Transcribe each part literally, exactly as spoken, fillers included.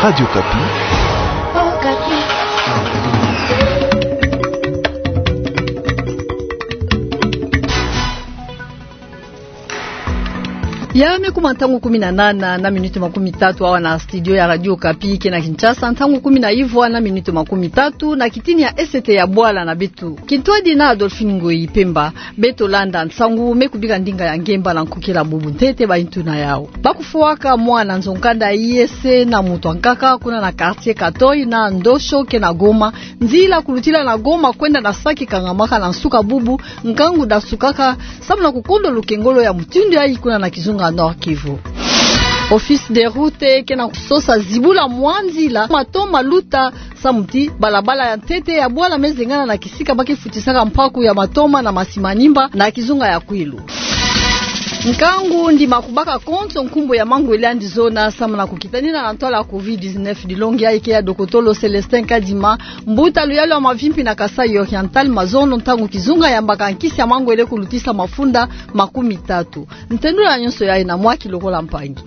Radio Okapi. Ya me kuma ntangu kumi na nana na miniti makumi tatu awa na studio ya Radio Okapi ke na Kinshasa, ntangu kumi na ivwa na miniti makumi tatu na kitini ya S T ya bwala na beto. Kintwadi na Adolphine Ngoyi Pemba. Beto landa nsangu me kubika ndinga ya ngemba na nkokila bubu ntete. Bayintu na yawu: Bakufwaka mwana nzo-nkanda ya I E C na moto ankaka kuna na quartier Katoyi na Ndosho ke na Goma. Nzila kulutila na Goma kwenda na Sake kangamaka na nsuka bubu, nkangu dasukaka samu na kukondwa lukengolo ya mutindu yayi kuna na kizunga Nord-Kivu. Office des routes ke na kusosa zibula mwa nzila matoma luta samu ti balabala ya ntete ya bwala me zengana na kisika ba ke futisaka mpaku ya matoma na masimanimba na kizunga ya Kwilu. Nkangu ndima kubaka konso nkumbu ya mangwele yandi zona samu na kukitanina na ntwala ya covid dix-neuf. Dilongi yayi ke ya dokotolo Célestin Kadima, mbuta luyalu ya mavimpi na Kasaï Oriental, mazono ntangu kizunga yambaka nkisi ya mangwele kulutisa mafunda makumi tatu. Ntendula nyonso yayi na Mwaki Lokola Mpangi.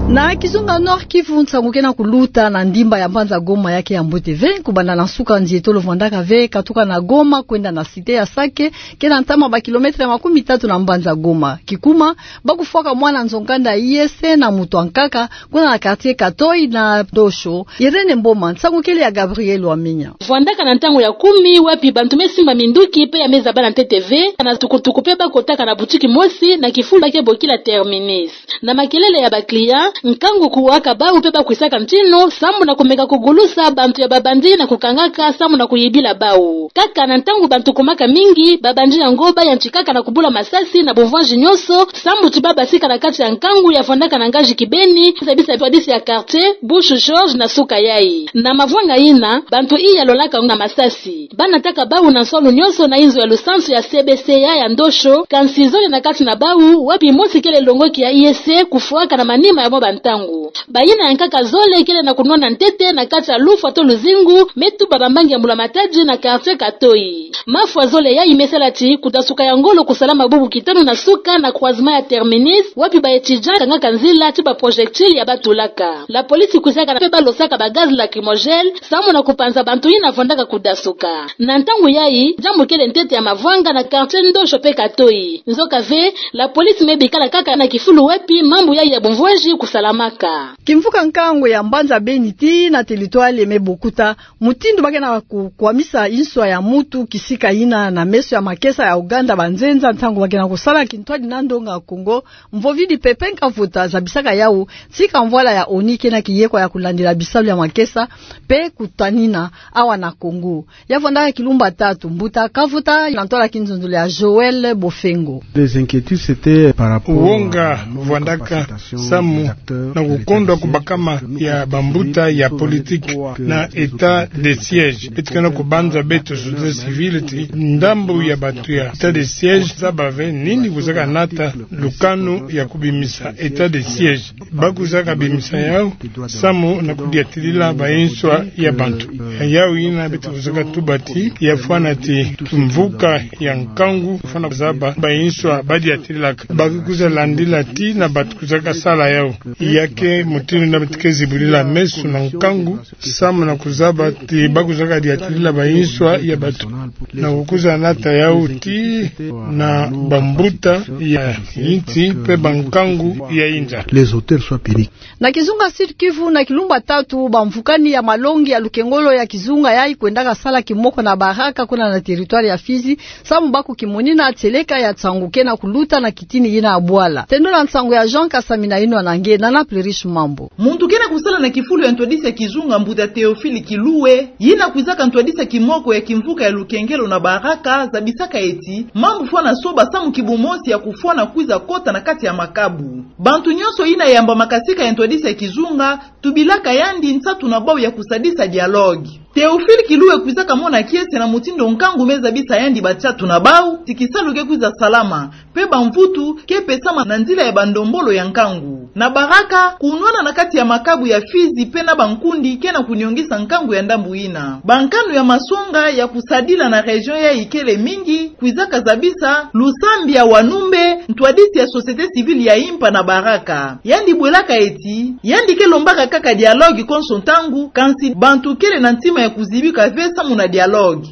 Na kizunga Nord-Kivu, nsangu ke na kuluta na ndimba ya mbanza Goma ya ke ya mbote ve. Kubanda na nsuka nzi etolo vwandaka ve, katuka na Goma kwenda na cité ya Sake, ke na ntama ba kilomètre makumi tatu na mbanza Goma. Kikuma, bakufwaka mwana nzo-nkanda ya I E C na moto ankaka kuna na quartier Katoyi na Ndosho. Irène Mboma, nsangu kele ya Gabriel Wamenya. Vwandaka na ntangu ya kumi wapi bantu me simba minduki pe ya me zaba na ntete ve, na tukutuku pe bakotaka na boutique mosi na kifulu ba ke bokila Terminus. Na makelele ya ba clients, nkangu kuwaka bawu pe bakwisaka ntinu samu na kumeka kugulusa bantu ya ba bandits na kukangaka samu na kuyibila bawu. Kaka na ntangu bantu kumaka mingi, ba bandits yango bayantikaka na kubula masasi na bumvwanzi nyonso, samu ti babasika na kati ya nkangu ya vwandaka na ngazi kibeni, zabisa ntwadisi ya quartier Bouche Georges na suka yayi. Na mavwanga yina, bantu iya lolaka na masasi, banataka bawu na nswalu nyonso na inzo ya lusansu ya C B C A ya Ndosho, kansi zole na kati na bawu, wapi mosi kele longoki ya I E C, kufwaka na manima ya mwa bantangu. Bayina ya nkaka zole kele na kunwana ntete na kati ya lufwa to luzingu, me tuba bambangi ya mbula matadi na quartier Katoyi. Mafwa zole yayi me sala ti kudasuka ya ngolo kusalama bubu kitanu na suka na croisement ya Terminus, wapi ba étudiants kangaka nzila ti ba projectiles ya batulaka. La police kwizaka na pe balosaka ba gaz lacrymogène, samu na kupanza bantu yina vwandaka kudasuka. Na ntangu yayi, diambu kele ntete ya mavwanga na quartier Ndosho pe Katoyi. Nzoka ve, la police me bikala kaka na kifulu wapi mambu yayi ya bumvwanzi kusalamaka. Kimvuka nkangu ya mbanza Beni tii na territoire ya Mebokuta, mutindu ba ke na kukwamisa inswa ya mutu kisika yina na meso ya makesa ya Ouganda, banzenza, ntangu ba ke na kusala kintwadi na ndonga Kongo, mvovidi Pépin Kavota zabisaka yawu ti kamvwala ya ONU ke na kiyekwa ya kulandila bisalu ya makesa pe kutanina awa na Kongo. Ya vwandaka kilumbu tatu, mbuta Kavota na ntwala kinzonzolo ya Joël Bofengo. Les inquiétudes, c'était par rapport. Wonga vwandaka samu na kukondwa kubakama ya bambuta ya politique na état de siège. Beto ke na kubanza beto société civile ti ndambu ya bantu ya état de siège zaba ve nini kuzaka nata lukanu ya kubimisa état de siège. Ba kwizaka bimisa yawu samu na kudiatilila bainswa ya bantu. Yawu yina beto kwizaka tuba ti ya fwana ti kimvuka ya nkangu fwana zaba bainswa badiatililaka. Ba kwiza landila tii na bantu kwizaka sala yawu. Ya ke mutindu na beto ke zibudila meso na nkangu samu na kuzaba ti ba kwizaka diatilila bainswa ya bantu. Na kukwiza nata yawu tii na bambuta ya insi pe bankangu ya inza. Les auteurs soient punis. Na kizunga Sud-Kivu, na kilumbu tatu, bamvukani ya malongi ya lukengolo ya kizunga yayi kwendaka sala kimoko na Baraka kuna na territoire ya Fizi, samu ba kukimonina tieleka ya nsangu ke na kuluta na kitini yina ya bwala. Tendula nsangu ya Jean Kasami na yinwa na nge Nana Plurish Mambo. Muntu ke na kusala na kifulu ya ntwadisi ya kizunga, mbuta Théophile Kiluwe, yina kwizaka ntwadisi ya kimoko ya kimvuka ya lukengelo na Baraka, zabisaka ti mambu fwana soba samu kibu mosi ya kufwana kwiza kota na kati ya makabu. Bantu nyonso yina yambamaka sika ya ntwadisi ya kizunga tubilaka yandi nsatu na bawu ya kusadisa dialogue. Théophile Kiluwe kwizaka mona kiese na mutindu nkangu me zabisa yandi batiatu na bau, ti kisalu ke kwiza salama, mpe bamvutu ke pesama na nzila ya bandombolo ya nkangu. Na Baraka, kunwana na kati ya makabu ya Fizi mpe na bankundi ke na kuniongisa nkangu ya ndambu yina. Bankanu ya masonga ya kusadila na région yayi kele mingi, kwizaka zabisa Lusambia Wanumbe, ntwadisi ya société civile ya Impa na Baraka. Yandi bwelaka eti, yandi ke lombaka kaka dialogue konso ntangu, kansi bantu kele na ntima ya kuzibika ve samu na dialogue.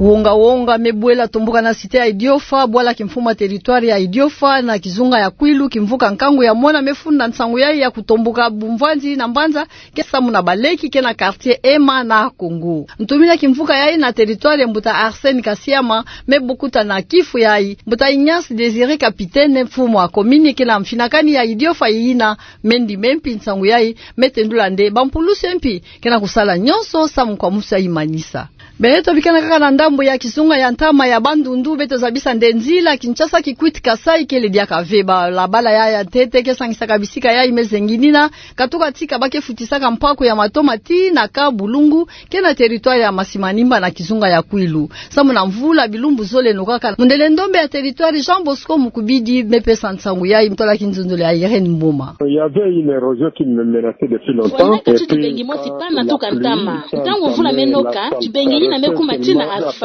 Wonga-wonga me bwela tomboka na cité ya Idiofa, bwala kimfumu ya territoire ya Idiofa, na kizunga ya Kwilu, kimvuka nkangu ya mona me funda nsangu yayi ya kutomboka bumvwandi na mbanza, ke samu na baleki ke na quartier Ema na Congo. Ntumina kimvuka yayi na territoire, mbuta Arsène Kasiama, me bukuta na kifu yayi mbuta Ignace Désiré Capitaine, mfumu wa commune ke na mfinakani ya Idiofa yina, mendi me mpi nsangu yayi me tendula nde bampulusi mpi ke na kusala nyonso samu kwa musa imanisa. Beto bikana kaka na ndambu ya kizunga ya ntama ya Bandundu, beto zabisa nde nzila Kinshasa-Kikwit-Kasaï kele diaka ve. Balabala yayi ya ntete ke sangisaka bisika yayi me zenginina, katuka tika ba ke futisaka mpaku ya matoma tii na Camp Bulungu, ke na territoire ya Masimanimba na kizunga ya Kwilu. Samu na mvula bilumbu zole nokaka. Mundele ndombe ya territoire Jean Bosco Mukubidi me pesa nsangu yayi, mtola kinzonzolo ya Irène Mboma. Il y avait une érosion qui me menaçait depuis longtemps. Fwanaka ti kibengi mosi pana tuka ntama. Ntangu mvula me noka, kibengi yina me kuma tii na asphalte.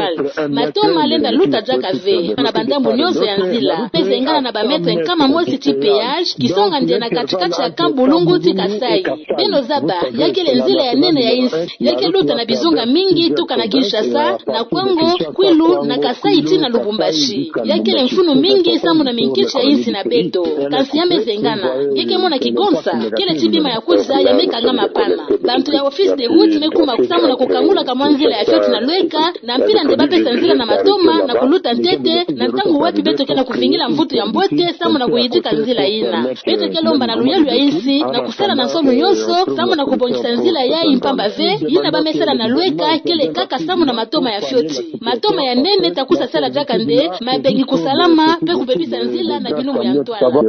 Matoma lenda luta diaka ve na bandambu nyonso ya nzila. Pe zengana na ba mètre nkama mosi ti péage, kisonga nde na kati-kati ya Camp Bulungu ti Kasaï. Beno zaba, ya kele nzila ya nene ya insi. Ya ke luta na bizunga mingi tuka na Kinshasa, na Kwango, Kwilu, na Kasaï tii na Lubumbashi. Ya kele mfunu mingi samu na minkiti ya insi na beto. Kansi ya me zengana, nge ke mona kigonsa, kele ti bima ya kwiza ya me kangama pana. Bantu ya Office des Routes me kuma samu na kukangula kamwa nzila ya fioti na lweka, na mpila nde ba pesa nzila na matoma na kuluta ntete, na ntangu wapi beto ke na kuvingila mvutu ya mbote samu na kuyidika nzila yina. Beto ke lomba na luyalu ya insi na kusala na nsoni nyonso samu na kubongisa nzila yayi, mpamba ve yina ba me sala na lweka kele kaka samu na matoma ya fioti. Matoma ya nene ta kwiza sala diaka nde mabengi kusalama, pe kubebisa nzila na bilumbu ya ntwala.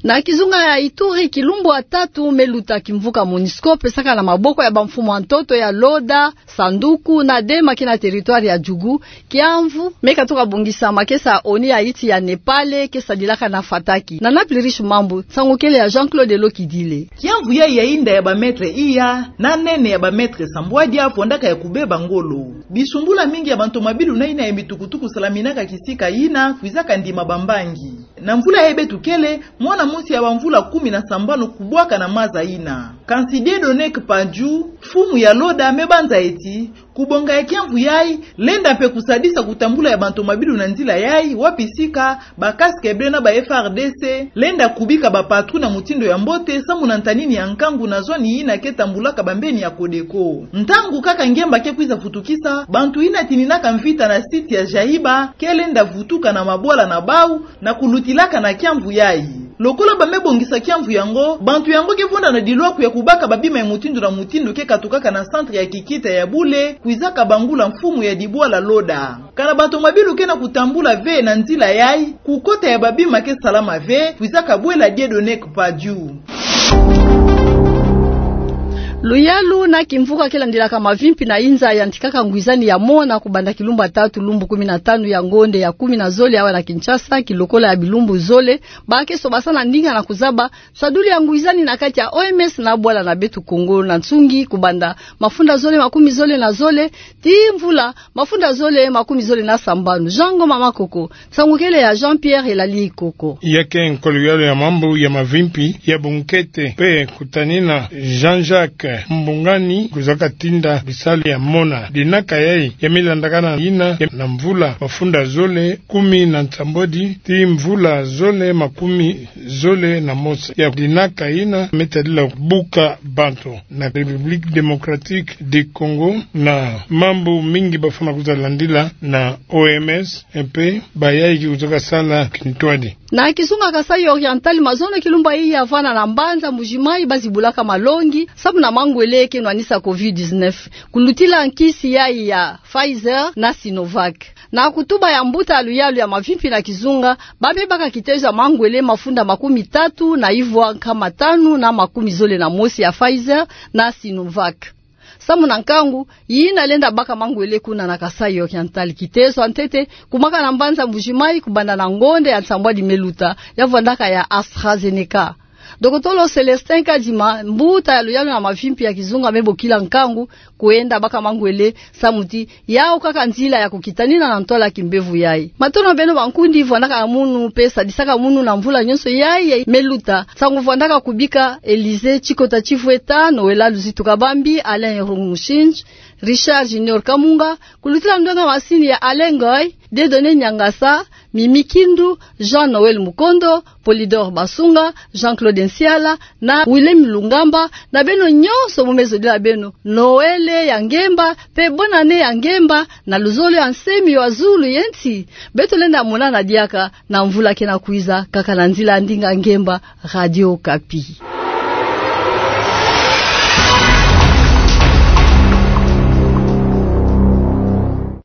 Na kizunga ya Ituri, kilumbu ya tatu me luta kimvuka MONUSCO pesaka na maboko ya bamfumu ya ntoto ya Loda, Sanduku na Dema ke na territoire ya Djugu, kiamvu me katuka bongisama ke sa ONU ya insi ya Népal ke sadilaka na Fataki. Na Naples Riche Mambu, nsangu kele ya Jean-Claude Lokidile. Kiamvu yayi ya inda ya ba mètre iya, na nene ya ba mètre sambwadi, fondaka ya kubeba ngolo. Bisumbula mingi ya bantomabilu na yina ya mitukutuku salaminaka kisika yina kwizaka ndima bambangi. Na mvula yayi beto kele, mwana mosi ya bamvula kumi na sambanu kubwaka na maza yina. Kansi Dieudonné Kpadju, mfumu ya Loda, me banza eti, kubonga ya kiamvu yayi lenda mpe kusadisa kutambula ya bantomabilu na nzila yayi, wapi sika ba casque bleu na ba F A R D C lenda kubika ba patrouille na mutindu ya mbote, samu na ntanini ya nkangu na zoni yina ke tambulaka bambeni ya Codeco. Ntangu kaka ngemba ke kwiza futukisa, bantu yina tininaka mvita na site ya Jahiba ke lenda vutuka na mabwala na bau, na kulutilaka na kiamvu yayi. Lokola ba me bongisa kiamvu yango, bantu yango ke vonda na dilwaku ya kubaka babima ya mutindu na mutindu ke katukaka na centre ya kikita ya bule, kwizaka bangula mfumu ya dibwala Loda. Kana bantomabilu ke na kutambula ve na nzila yayi, kukota ya babima ke salama ve, kwizaka bwela Dieudonné Kpadju. Luyalu na kimvuka ke landilaka mavimpi na inza yantikaka ngwizani ya mona kubanda kilumbu ya tatu lumbu kumi na tanu ya ngonde ya kumi na zole awa na Kinshasa, kilokola ya bilumbu zole ba ke sobasana ndinga na kuzaba sadulu ya ngwizani na kati ya O M S na bwala na beto Kongo na nsungi kubanda mafunda zole makumi zole na zole tii mvula mafunda zole makumi zole na sambanu. Jean Ngoma Makoko, nsangu kele ya Jean-Pierre Elali Ikoko. Ya ke nkolo ya luyalu ya mambu ya mavimpi ya bunkete mpe kutanina Jean-Jacques Mbungani, kwizaka tinda bisalu ya mona. Dinaka yayi ya me landakana yina ya na mvula mafunda zole kumi na nsambwadi tii mvula zole makumi zole na mosi. Ya dinaka yina me tadila buka bantu na République Démocratique du Congo, na mambu mingi bafwana kwiza landila na O M S, mpe bayayi ke kuzaka sala kintwadi. Na kizunga Kasaï Oriental, mazono kilumbu iya vana na mbanza Mbuji-Mayi ba zibulaka malongi samu na mangwele ke nwanisa covid dix-neuf, kulutila nkisi yayi ya Pfizer na Sinovac. Na kutuba ya mbuta ya luyalu ya mavimpi na kizunga, ba me baka kitezo ya mangwele mafunda makumi tatu na ivwa nkama tanu na makumi zole na mosi ya Pfizer na Sinovac. Samu na nkangu, yina lenda baka mangwele kuna na Kasaï Oriental, kitezo ya ntete kumwaka na mbanza Mbuji-Mayi kubanda na ngonde ya nsambwadi me luta, ya vwandaka ya AstraZeneca. Dokotolo Célestin Kadima, mbuta ya luyalu na mavimpi ya kizunga, me bokila nkangu kwenda baka mangwele, samu ti yau kaka nzila ya kukitanina na ntwala ya kimbevo yayi. Matondo na beno bankundi, vwandaka na munu pe sadisaka munu na mvula nyonso yayi me luta. Nsangu vwandaka kubika Élysée Tshikota Tshivweta, Noëlla Luzitu Kabambi, Alain Irungu Mushinji, Richard Junior Kamunga, kulutila ndwenga masini ya Alain Ngoy, Dieudonné Niangasa, Mimi Kindu, Jean Noël Mukondo, Polydor Basunga, Jean-Claude Nsiala, na Willem Lungamba, na beno nyonso bu me zodila beno Noël ya ngemba pe bonne année ya ngemba, na luzolo ya nsemi wa zulu ye nsi. Beto lenda monana diaka na mvula kena kwiza, kaka na nzila ya ndinga ngemba. Radio Okapi.